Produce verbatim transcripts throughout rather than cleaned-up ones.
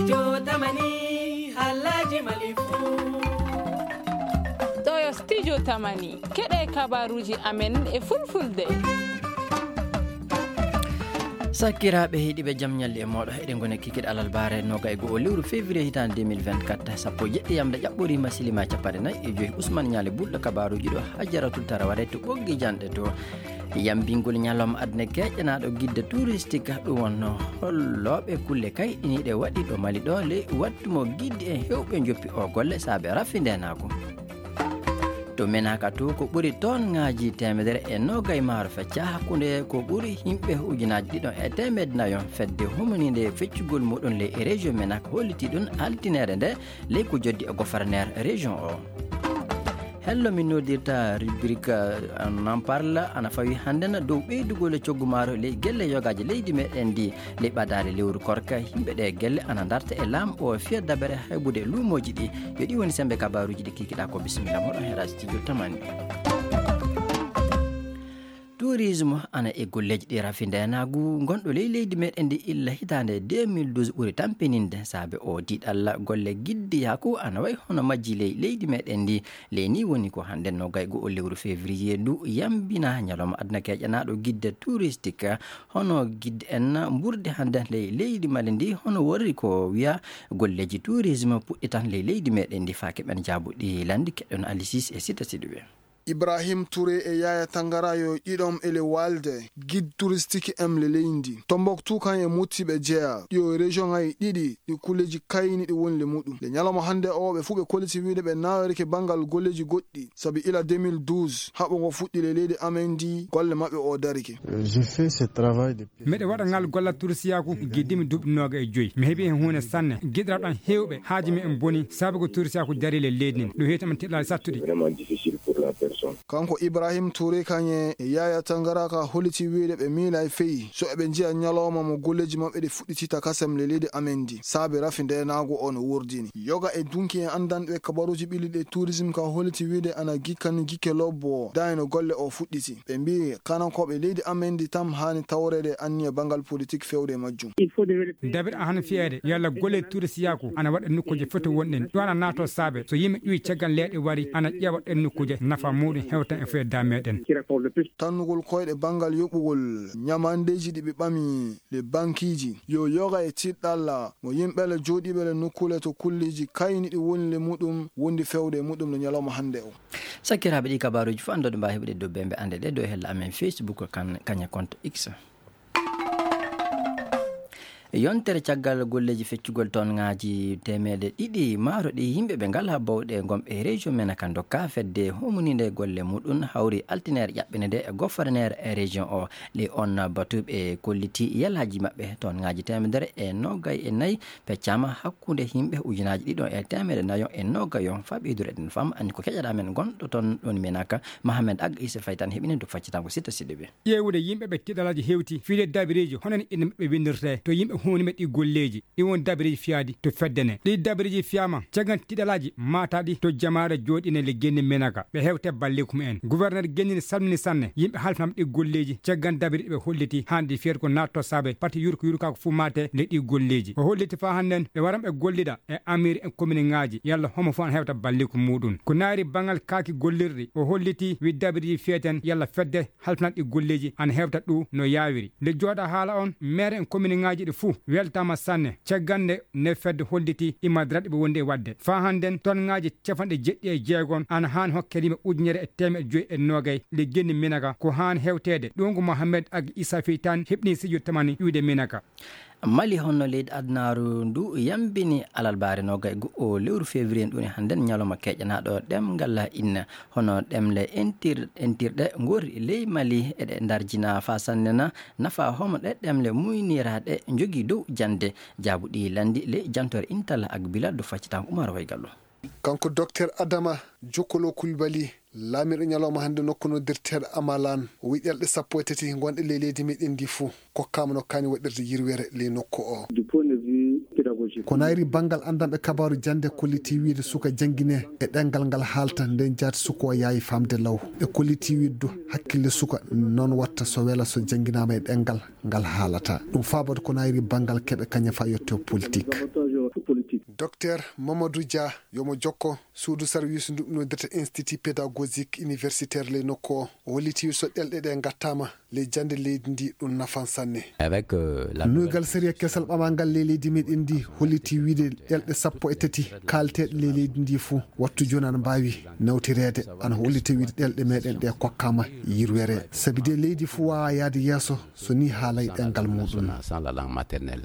Jotamani, Alhaji Malifu. Ɗo yo Studio Tamani. Keɗe kabaruji amen e fulfulde. Sakkiraaɓe heɗiiɓe, jam ñalli e mooɗo. Eɗen ngoni kikiɗe alarbaare noga e go'o lewru février hitaande deux mille vingt-quatre, sappo e jeɗɗi yamde ƴaɓɓoriima, silima capanɗe nayi e joyi. Usman Ñaale Bulɗo kabaruji ɗo, Hajaratul Taraware to Ɓoggi Janɗe to. Yambingol ñalawma aduna keƴanaaɗo guide touristique, ɗum wonno hollooɓe kulle kayɗiniiɗe waɗi ɗo Mali ɗo, ley wattu mo guide en heewɓe njoppi o golle saabe rafi ndenaagu. To Menaka to, ko ɓuri tonŋaaji teemedere e noga e maaro feccaa hakkunde ko ɓuri yimɓe ujunaaji ɗiɗon e teemedde nayon fedde humaniinde feccugol muɗum ley e région Menaka holliti ɗum altineere nde ley ko joddi e gouverneur région o. Hello min noddirta rubrique, euh, N'en parle ana fawi hannden dow ɓeydugol e coggu maaro ley gelle yogaaji leydi meɗen ndi. Ley ɓadaade lewru korka, yimɓe ɗe gelle ana darta e laam o fiya dabere haybude luumooji ɗi. Yo ɗi woni sembe kabaruji ɗi kikiɗa ko. Bisimilla moɗon hera studio Tamani. Tourisme ana e golleji ɗi rafi ndenaagu gonɗo ley leydi meɗen ndi illa hitaande deux mille douze ɓuri tampininde saabe o diɗalla golle giddiyaku ana wayi hono majji ley leydi meɗen ndi. Ley ni woni ko hannde noga e go'o lewru février ndu yambina ñalawma aduna keƴanaaɗo guide touristique. Hono guide en mburdi hannde ley leydi Mali ndi, hono worri ko wiya golleji tourisme puɗɗitan ley leydi meɗen ndi. Faake ɓen jaabuɗi landi keɗɗon Alisis e Sita Sidibe. Ibrahim Touré e Yaya Tangara yo ɗiɗon ele walde guide touristique em le leydi. Tombouctou kan e Mouti ɓe jeya. Ɗiyo région ay ɗiɗi ɗi kulleji kayni ɗi woni le muɗum. Le ñalawma hannde o ɓe fuu ɓe kolliti wiide ɓe nawerike banngal golleji goɗɗi. Sabi ila deux mille douze, haɓo ngo fuɗɗi le leydi amen ndi, golle maɓɓe o darike. Euh, je fais ce travail depuis Miɗo waɗa ngal gollal turisiyaaku giddimi duuɓi nooga e joyi. Mi heɓi heen huunde sanne. Giɗiraɓe am heewɓe haaji mi en boni sabu ko turisiyaaku darii le leydi nden. Ɗum heewti amen tiɗɗalaaji sattuɗi. Vraiment difficile pour la personne. Kanko Ibrahim Touré Kanye e Yaya Tangara ka holliti wiide ɓe miila e feyi so eɓe njiya ñalawma mo golleji maɓɓe ɗi fuɗɗitita kasam le leydi amen ndi. Saabe rafi ndenaagu o no wurdini. Yoga e dunki e anndanɓe kabaruuji ɓilliɗi e tourisme ka holliti wiide ana gikkani gikke lobbo o. Dayno golle o fuɗɗiti. Ɓe mbii kanankooɓe leydi amen ndi tam haani tawreede anniya banngal politik fewde e majjum. Dabir a hana fiyeede yalla golle turisiyaaku ana waɗa nokkuuje foti wonɗen. Ɗo ana naato saabe so yimɓe ƴuwi caggal leeɗe wari ana ƴeewa ɗen nokkuuje nafa muɗum hewtan e fewde meɗen. Tannugol koyɗe banngal yoɓugol ñamandeeji ɗi ɓe ɓami le bankiiji. Yo yoga e tiɗɗalla mo yimɓe le jooɗiiɓe le nokkuule to kulleeji kayni ɗi woni le muɗum wondi fewde e muɗum le ñalawma hannde o. Sakkiraaɓe ɗi kabaruuji fof anndoɗo mbaawi heɓude dow bembe annde ɗe dow hella amen Facebook kan kaña compte X. Yontere caggal golleeji feccugol tonŋaaji teemeɗe ɗiɗi maaro ɗi yimɓe ɓe ngalaa bawɗe gomɓe e région men ka ndokka fedde humuninde golle muɗum hawri altineere ƴaɓɓinede e gouverneur e région o. Ɗi on batuɓe kolliti yalaaji maɓɓe tonŋaaji teemedere e noogay e nayi peccama hakkunde yimɓe ujunaaji ɗiɗon e teemedde nayon e noogayon. Faa ɓeydude eɗen fam anni ko keƴaɗa men gonɗo toon ɗon menaka Mohamed Ag Issa Faye tan heɓini duk faccitango sitta siɗɗo ɓe. Ƴeewude yimɓe ɓe tiɗalaaji hewti fiide dabireeji hono ni inna maɓɓe winndirtee to yimɓe huunima ɗi golleeji. Ɗi won dabireeji fiyaadi to fedde ne. Ɗi dabireeji fiyaama caggal tiɗalaaji maataaɗi to jamaare jooɗine le genni menaka. Ɓe hewte balliku mumen. Gouverneur gennini salmini sanne yimɓe halfinama ɗi golleeji caggal dabiri ɓe holliti hannde fiyata ko naatto saabe pati yurko yurkaako fuu maate le ɗi golleeji. O holliti faa hannden ɓe waran ɓe gollida e amir e kominiŋaaji yalla homo fof ana hewta balliku muɗum. Ko naayri banngal kaaki gollirɗi o holliti wi dabiriji fiyeten yalla fedde halfinat ɗi golleeji ana hewta ɗu no yaawiri. Nde jooɗa haala on, meere en kominiŋaaji ɗi fuu weltaama sanne caggal nde nde fedde holliti imadraɗ ɓe wondi e waɗde. Faa hannden tonŋaaji capanɗe jeɗɗi e jeegon ana haani hokkede yimɓe ujunere e teemeɗe joyi e noogay le genni minaka ko haani hewteede. Ɗuungu Mohamed Ag Issa Faye tan heɓni sijo tamani ƴuwde minaka. Mali honno leydi adunaaru ndu yambini alarbaare noga e go'o lewru février ndu woni hannden ñalawma keƴanaaɗo ɗemngal inna. Hono ɗemle entir-, entirɗe ngori ley Mali eɗe ndarjina faa sannena nafa homo ɗe ɗemle muyniraaɗe njogii dow jannde. Jaabuɗi lanndi ley jantore Intala ak Bilal do faccitango Umar Waygallo. Kanko Docteur Adama Jokkolo Kulbali, laamiiɗo ñalawma hannde nokku noddirteeɗo Amalan, o wi'i ɗelɗe sappo e tati ngonɗe ley leydi meɗen ndi fuu, kokkaama no kaani waɗirde yirwere ley nokku o. Du point de vue pédagogique. Ko nayri banngal anndanɓe kabaaru jannde kolliti wiide suka janngine e ɗemngal ngal haalta nden jaati suka o yaawi faamde law. Ɓe kolliti wiide du hakkille suka noon watta so wela so jannginaama e ɗemngal ngal haalata. Ɗum faabata ko nayri banngal keɓe kaña faa yotte politik. Docteur Mamadou Dia, yomo jokko suudu sarwiisu ndu noddata Institut Pédagogique Universitaire ley nokku o, o holliti so ɗelɗe ɗe ngattaama ley jannde leydi ndi, ɗum nafan sanne. Avec, euh, la nouvelle sariya kesal ɓamangal ley leydi meɗen ndi holliti wiide ɗelɗe sappo e tati kaalteeɗe ley leydi ndi fuu wattu jooni ana mbaawi nawtireede, ana holliti wiide ɗelɗe meɗen ɗe kokkaama yirwere, sabi de leydi fuu waawa yaade yeeso so ni haalay ɗemngal muɗum.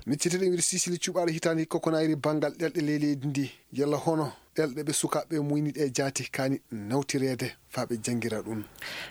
Micciteɗen wiide Sisili cuɓaaɗo hitaande hikka ko naayiri banngal ɗelɗe ley leydi ndi, yalla hono ɗelɗe ɓe sukaaɓe muyni ɗe jaati kaani nawtireede faa ɓe janngira ɗum.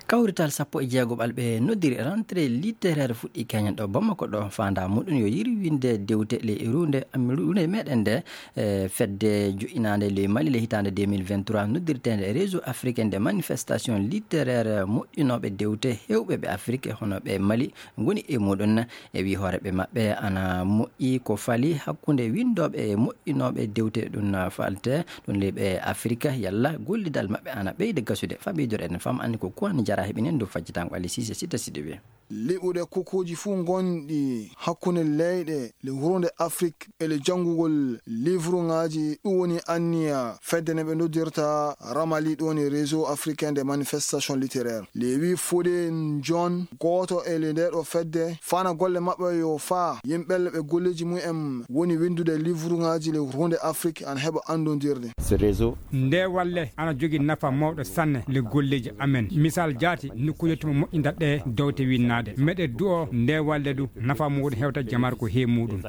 Kawrital sappo e jeego ɓalɓe noddiri rentrée littéraire fuɗɗi keñen ɗo Bamako ɗo, faandaa muɗum yo yirwinde dewte ley runde, am, runde meɗen nde, e fedde jo'inaande ley Mali le hitaande deux mille vingt-trois noddirteende Réseau Africain de Manifestation Littéraire, moƴƴinooɓe dewte heewɓe ɓe Afrik hono ɓe Mali ngoni e muɗum. E wii hooreeɓe maɓɓe ana moƴƴi ko fali hakkunde winndooɓe e moƴƴinooɓe dewte ɗum falte ɗum leyɗe Afrik, yalla gollidal maɓɓe ana ɓeyda gasude. Faa ɓeydoren fam anni ko kuwani jara heɓinen ɗum fajjitango Ali Sise Sita Sidibe. Liɓude kukuuji fuu ngonɗi hakkunde leyɗe le hurnde Afrik e le janngugol livruŋaaji, ɗum woni anniya fedde nde ɓe noddirta Ramali, ɗum woni Réseau Africain de Manifestation Littéraire. Lewi Fode John, gooto e le nde ɗo fedde, fana golle maɓɓe yo faa yimɓe le ɓe golleeji mum en woni winndude livruŋaaji le hurnde Afrik ana heɓa anndondirde. Ce réseau. Nde walle ana jogi nafa mawɗo sanne le golleeji amen. Misal jaati, nokkuuje tuma moƴƴinta ɗe dewte winnaade. Meɗe du'o nde walle du nafa muɗum hewta jamar ko he muɗum.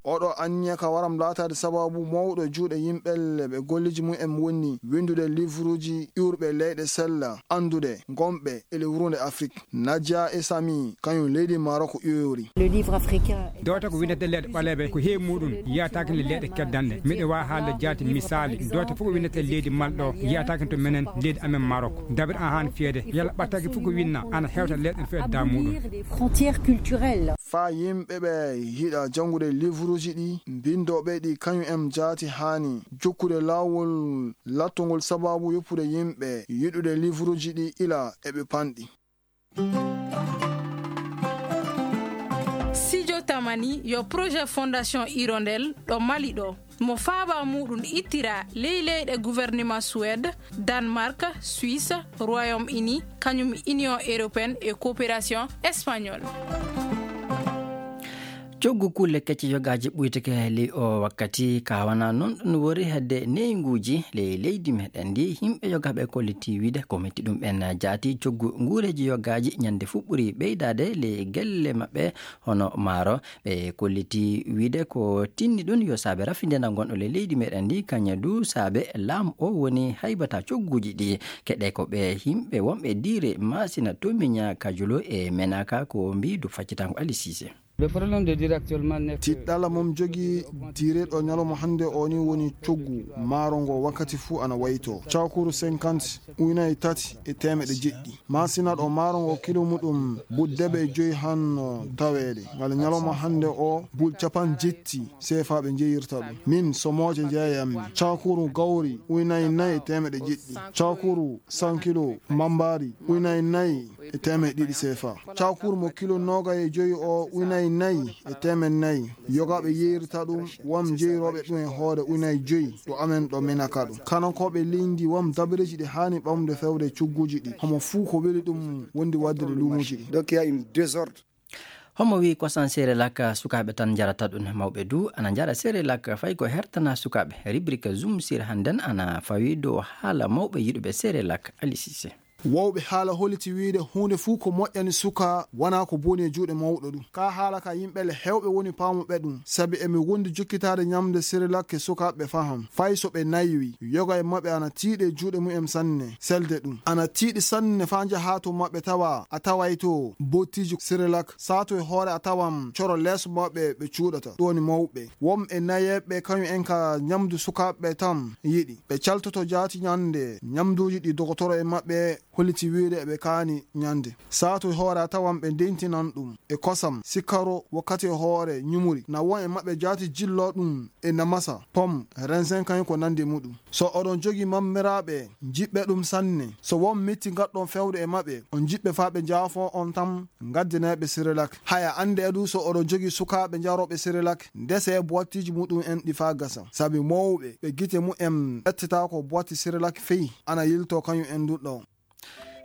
Oɗo anniya ka waram laataade sababu mawɗo juuɗe yimɓe le ɓe golleeji mum en woni winndude livruuji ƴuurɓe leyɗe sella anndude ngonɓe e le hurnde Afrik. Nadia e Sami, kañum leydi Maroko ƴoyori. Le livre africain. Dewte ko winndete leyɗe ɓaleeɓe ko heewi muɗum yiyataake nde leyɗe keddanɗe. Miɗo waawi haalde jaati misaali. Dewte fof ko winndete leydi Mali ɗo yiyataake to menen leydi amen Maroko. Dabir an haan fiyede yalla ɓattake fof ko winna ana hewta leyɗe feeta muɗum. Des frontières culturelles. Faa yimɓe ɓe yiɗa janngude livruuji ɗi, mbinndooɓe ɗi kañum en jaati haani jokkude laawol lattongol sababu yoppude yimɓe yiɗude livruuji ɗi ila eɓe panɗi. Sijo Tamani yo projet Fondation Hirondelle ɗo Mali ɗo. Mo faaba muɗum ittira ley leyɗe gouvernement Suède, Danemark, Suisse, Royaume-Uni, kañum Union Européenne e Coopération Espagnole. Coggu kulle kecce yogaaji ɓuytake ley o wakkati, ka wana noon ɗum wori hedde neynguuji ley leydi meɗen ndi. Yimɓe yogaaɓe kolliti wiide ko metti ɗum ɓen jaati coggu nguureeji yogaaji ñande fuɗɓuri ɓeydaade ley gelle maɓɓe hono maaro. Ɓe kolliti wiide ko tinni ɗum yo saabe rafindenal ngonɗo ley leydi meɗen ndi, kañum du saabe laamu o woni haybata cogguuji ɗi. Keɗe ko ɓe yimɓe wonɓe diire Masina, Tomiña, Kajulo e Menaka ko mbi du faccitango Ali Sise. Le problème de dire actuellement n'est que tiɗɗala mom jogi direɗo ñalawma hannde o ni woni coggu maaro ngo wakkati fuu ana wayto. Cakuru cinquante, ujunnaaji tati e teemeɗɗe jeɗɗi. Masina ɗo maaro ngo kilo muɗum bul debe e joyi hanno taweede. Ngal ñalawma hannde o bul capan jetti seefa ɓe njeyirta ɗum. Min somooje jeeyammi. Cakuru gawri ujunnaaji nayi e teemeɗɗe jeɗɗi. Cakuru san kilo mambari ujunnaaji nayi e teemeɗɗe ɗiɗi seefa. Cakuru mo kilo noogay e joyi o ujunnaaji nayi e teemeɗɗe nayi. Yogaaɓe yeyrita ɗum, wam jeyrooɓe ɗum e hoore ujunnaaji joyi ɗo amen ɗo Menaka ɗum. Kanankooɓe leydi wam dabareeji ɗi haani ɓamde fewde cogguuji ɗi. Homo fuu ko weli ɗum wondi waɗde ɗe luumuuji ɗi. Donc, il y a une désordre. Homo wi'i kosan Cerelac, sukaaɓe tan njarata ɗum, mawɓe du ana njara Cerelac, fay ko hertana sukaaɓe. Rubrique Zoom sur hannden ana fawi dow haala mawɓe yiɗuɓe Cerelac, Ali Cissé. Wowɓe haala holliti wiide huunde fuu ko moƴƴani suka wonaa ko boni e juuɗe mawɗo ɗum. Ka haala ka yimɓe le heewɓe woni paamuɓe ɗum, sabi emi wondi jokkitaade ñamde Cerelac e sukaaɓe faham. Fay so ɓe naywi, yoga e maɓɓe ana tiiɗi e juuɗe mum en sanne, selde ɗum. Ana tiiɗi sanne faa njahaa to maɓɓe tawa a taway to bottiiji Cerelac. Saatu e hoore a tawan coro leeso maɓɓe ɓe cuuɗata. Ɗum woni mawɓe. Won e nayeeɓe kañum en ka ñamdu sukaaɓe tan yiɗi. Ɓe caltoto jaati ñande ñamduuji ɗi dogotoro e maɓɓe holliti wiide eɓe kaani ñande. Saatu e hoore a tawan ɓe ndentinan ɗum e kosam, sikaro wakkati e hoore ñumuri. Na won e maɓɓe jaati jillo ɗum e namasa, pom, rensen kañum ko nandi muɗum. So oɗon jogi mammiraaɓe, njiɗɓe ɗum sanne. So won mitti ngatɗon fewde e maɓɓe, on njiɗɓe faa ɓe njaafoo on tan, ngaddineeɓe Sirilak. Haya annde e du so oɗon jogi sukaaɓe njarooɓe Sirilak, ndesee boitiiji muɗum en ɗi faa gasa. Sabi mawɓe ɓe gite mumen ƴettata ko boiti Sirilak fii, ana yiltoo kañum en du ɗo.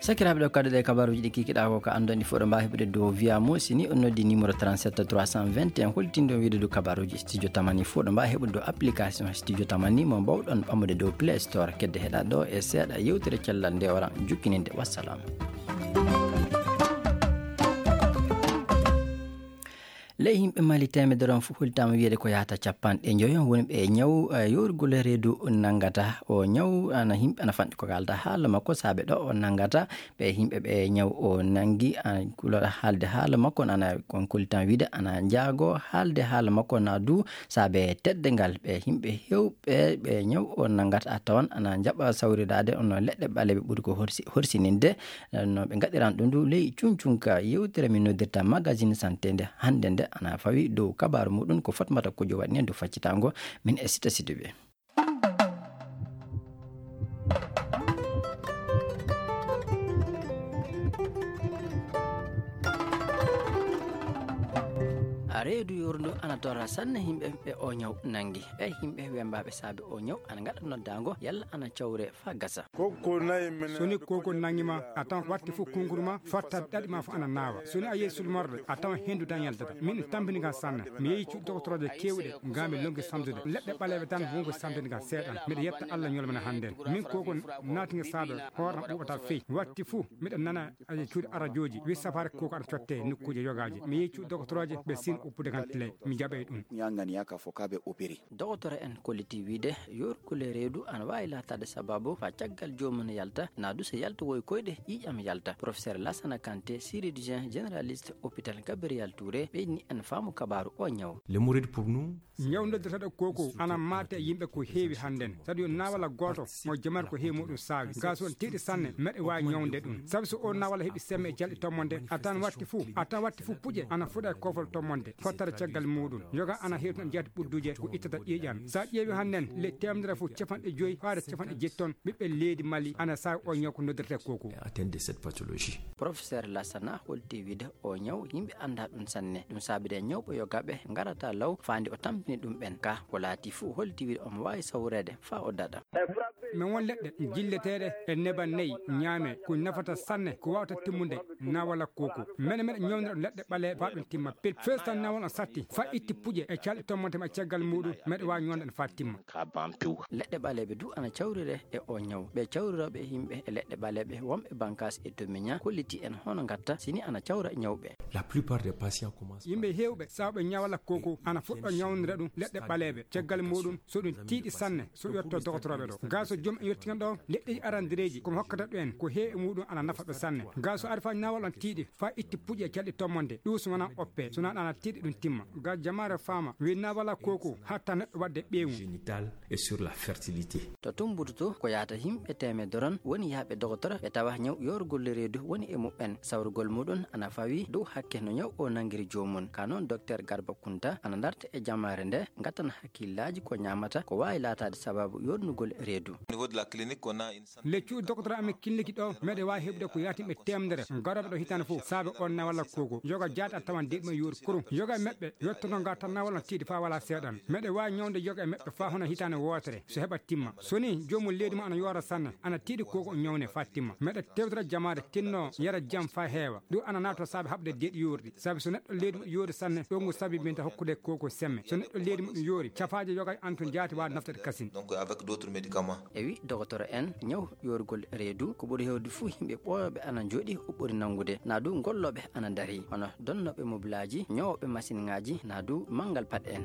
Sakiraaɓe, ɗo kadi ɗe kabaruuji ɗi kikiɗaa ko ka anndon ɗi fof ɗo mbaawi heɓude dow via mo. Si ni on noddi numéro trente-sept trois cent vingt et un, holtindo wiide dow kabaruuji studio tamani fof ɗo mbaawi heɓude dow application studio tamani mo mbawɗon ɓamude dow Play Store. Kedde heɗa ɗo e seeɗa yewtere cellal nde wara jukkininde. Wassalam. Ley yimɓe Mali teemedere on fof hollitaama wiyeede ko yahata capanɗe njoyo woni ɓe ñaw, eh, yoorgol reedu nanngata. O ñaw ana yimɓe ana fanɗi ko kaalda haala makko saabe ɗo o nanngata. Ɓe yimɓe ɓe ñaw o nanngi, ah, kula haalde haala makko ana kon hollitaama wiide ana njaago haalde haala makko na du saabe teddungal ɓe yimɓe heewɓe ɓe ñaw o nanngata a tawan ana njaɓa sawriraade on leɗɗe ɓaleeɓe ɓuri ko horsi-, horsininde. No ɓe ngaɗiran ɗum du ley cuncunka yewtere min noddirta magazine santé nde hannde nde ana fawi dow kabaaru muɗum ko Fatmata Kojo waɗi nen dow faccitango min e Sita Sidibe. A reedu yorndu ana torra sanne yimɓe ɓe o ñaw nangi. Ɓe yimɓe wembaaɓe saabe o ñaw ana ngaɗa noddaango yalla ana cawre faa gasa. Koko nayi mene. So ni koko nangi ma, a tawan watti fof kunguru ma, fotta ɗaɗi ma fof ana naawa. So ni a yehi sulmorde, a tawan hendu tan yaltata. Min tampini ka sanne. Mi yehi cuuɗi doktorooje keewɗe, nga mi lonki samtude. Leɗɗe ɓaleeɓe tan wonko samtini ka seeɗan. Miɗo yetta Allah ñolmana hannden. Min koko naati nga saabe, hoore am ɓuuɓata fey. Watti fof, miɗo nana e cuuɗi arajooji, wi safaare koko ana cotte nokkuuje yogaaji. Mi yehi cuuɗi doktorooje, ɓe sin uppude kan tile. Mi jaɓay ɗum. Ñangani yaka fo kaɓe opérer. Dogotoro en kolliti wiide, yoorgol reedu ana waawi laataade sababu faa caggal joomum yalta, naa du so yalta woy koyɗe ƴiiƴam yalta. Professeur Lassana Kanté, chirurgien généraliste hôpital Gabriel Touré, ɓeyni en faamu kabaaru o ñaw. Le mouride pour nous, ñaw noddirteeɗo koko ana maate e yimɓe ko heewi hannden. Saɗi yo naawala gooto mo jamaare ko heewi muɗum saawi. Gaa so on tiiɗi sanne, meɗe waawi ñawnde ɗum. Sabi so o naawala heɓi semme e calɗi tommonde, a tan watti fuu, a tan watti fuu puƴe ana fuɗa e koofol tommonde, fottata caggal muɗum. Yoga ana heewtina jeeɗa ɓudduuje ko ittata ƴiiƴan. Sa ƴeewi hannden, le teemedere fof capanɗe joyi faade capanɗe jeeɗi ton, ɓiɓɓe leydi Mali ana saawi o ñaw ko noddirtee koko. Atteinte de cette pathologie. Professeur Lassana holti wiide o ñaw yimɓe anndaa ɗum sanne. Ɗum saabide ñawɓe yogaaɓe ngarata law faandi o tampini ɗum ɓen. Ka ko laati fof holti wiide omo waawi sawreede faa o daɗa. Min won leɗɗe jilleteeɗe e neban nayi ñaame ko nafata sanne ko waawata timmude naawala koko. Mene meɗe ñawnira ɗum leɗɗe ɓaleeɓe faa ɗum timma pil. Fees tan naawal on satti faa itti puƴe e calɗi tommonte ma caggal muɗum meɗe waawi ñawnde ɗum faa timma. Ka bampiw. Leɗɗe ɓaleeɓe du ana cawrire e o ñaw. Ɓe cawrirooɓe yimɓe e leɗɗe ɓaleeɓe wonɓe bankaas e domiña kolliti en hono ngatta sini ana cawra ñawɓe. La plupart des patients commencent. Yimɓe heewɓe sawɓe ñawala koko ana fuɗɗo ñawnira ɗum leɗɗe ɓaleeɓe. Caggal muɗum so ɗum tiiɗi sanne so yotto dogotorooɓe ɗo. Gaa so joom en yottinan ɗo leɗɗeji arandireeji komi hokkata ɗo en ko heewi muɗum ana nafa ɓe sanne. Gaa so ari faa ñawal on tiiɗi faa itti puƴe calɗi tommonde ɗum so wonaa oppe so wonaa ɗana tiiɗi ɗum timma. Gaa jamaare faama wi naawala koko hatta neɗɗo waɗde ɓeewu. Génital et sur la fertilité. To Tumbutu to ko yahata yimɓe teemedere on woni yahɓe dogotoro ɓe tawa ñaw yoorgol reedu woni e muɓɓen. Sawrugol muɗum ana fawi dow hakke no ñaw o nanngiri joomum. Ka noon Docteur Garba Kunta ana ndarta e jamaare nde ngattana hakkillaaji ko ñaamata ko waawi laataade sababu yoornugol reedu. Au niveau de la clinique, on a une centaine. Le cuuɗi dokotoro amen kilniki ɗo meɗe waawi heɓude ko yaatimɓe teemedere garooɓe ɗo hitaande fof saabe on naawala koko. Yoga jaati a tawan deeɗi ma yoori kurum. Yoga e maɓɓe yottono nga tan naawal on tiiɗi faa wala seeɗan. Meɗe waawi ñawnde yoga e maɓɓe faa hono hitaande wootere so heɓa timma. So ni joomum leydi mo ana yoora sanne ana tiiɗi koko o ñawne faa timma. Meɗe tewtira jamaare tinno yara jam faa heewa. Ɗum ana naatoo saabe haɓde deeɗi yoorɗi. Sabi so neɗɗo leydi mum yoori sanne ɗo ngu sabi minta hokkude koko semme. So neɗɗo leydi mum yoori cafaaje yoga e antun jaati waawi naftude kasin. Donc avec d'autres médicaments. E wi dogotoro en ñaw yoorgol reedu ko ɓuri heewde fof yimɓe ɓooyooɓe ana njooɗi o ɓuri nanngude naa du gollooɓe ana ndarii hono donnooɓe mobilaaji ñoowooɓe masinŋaaji naa du manngal paɗe en.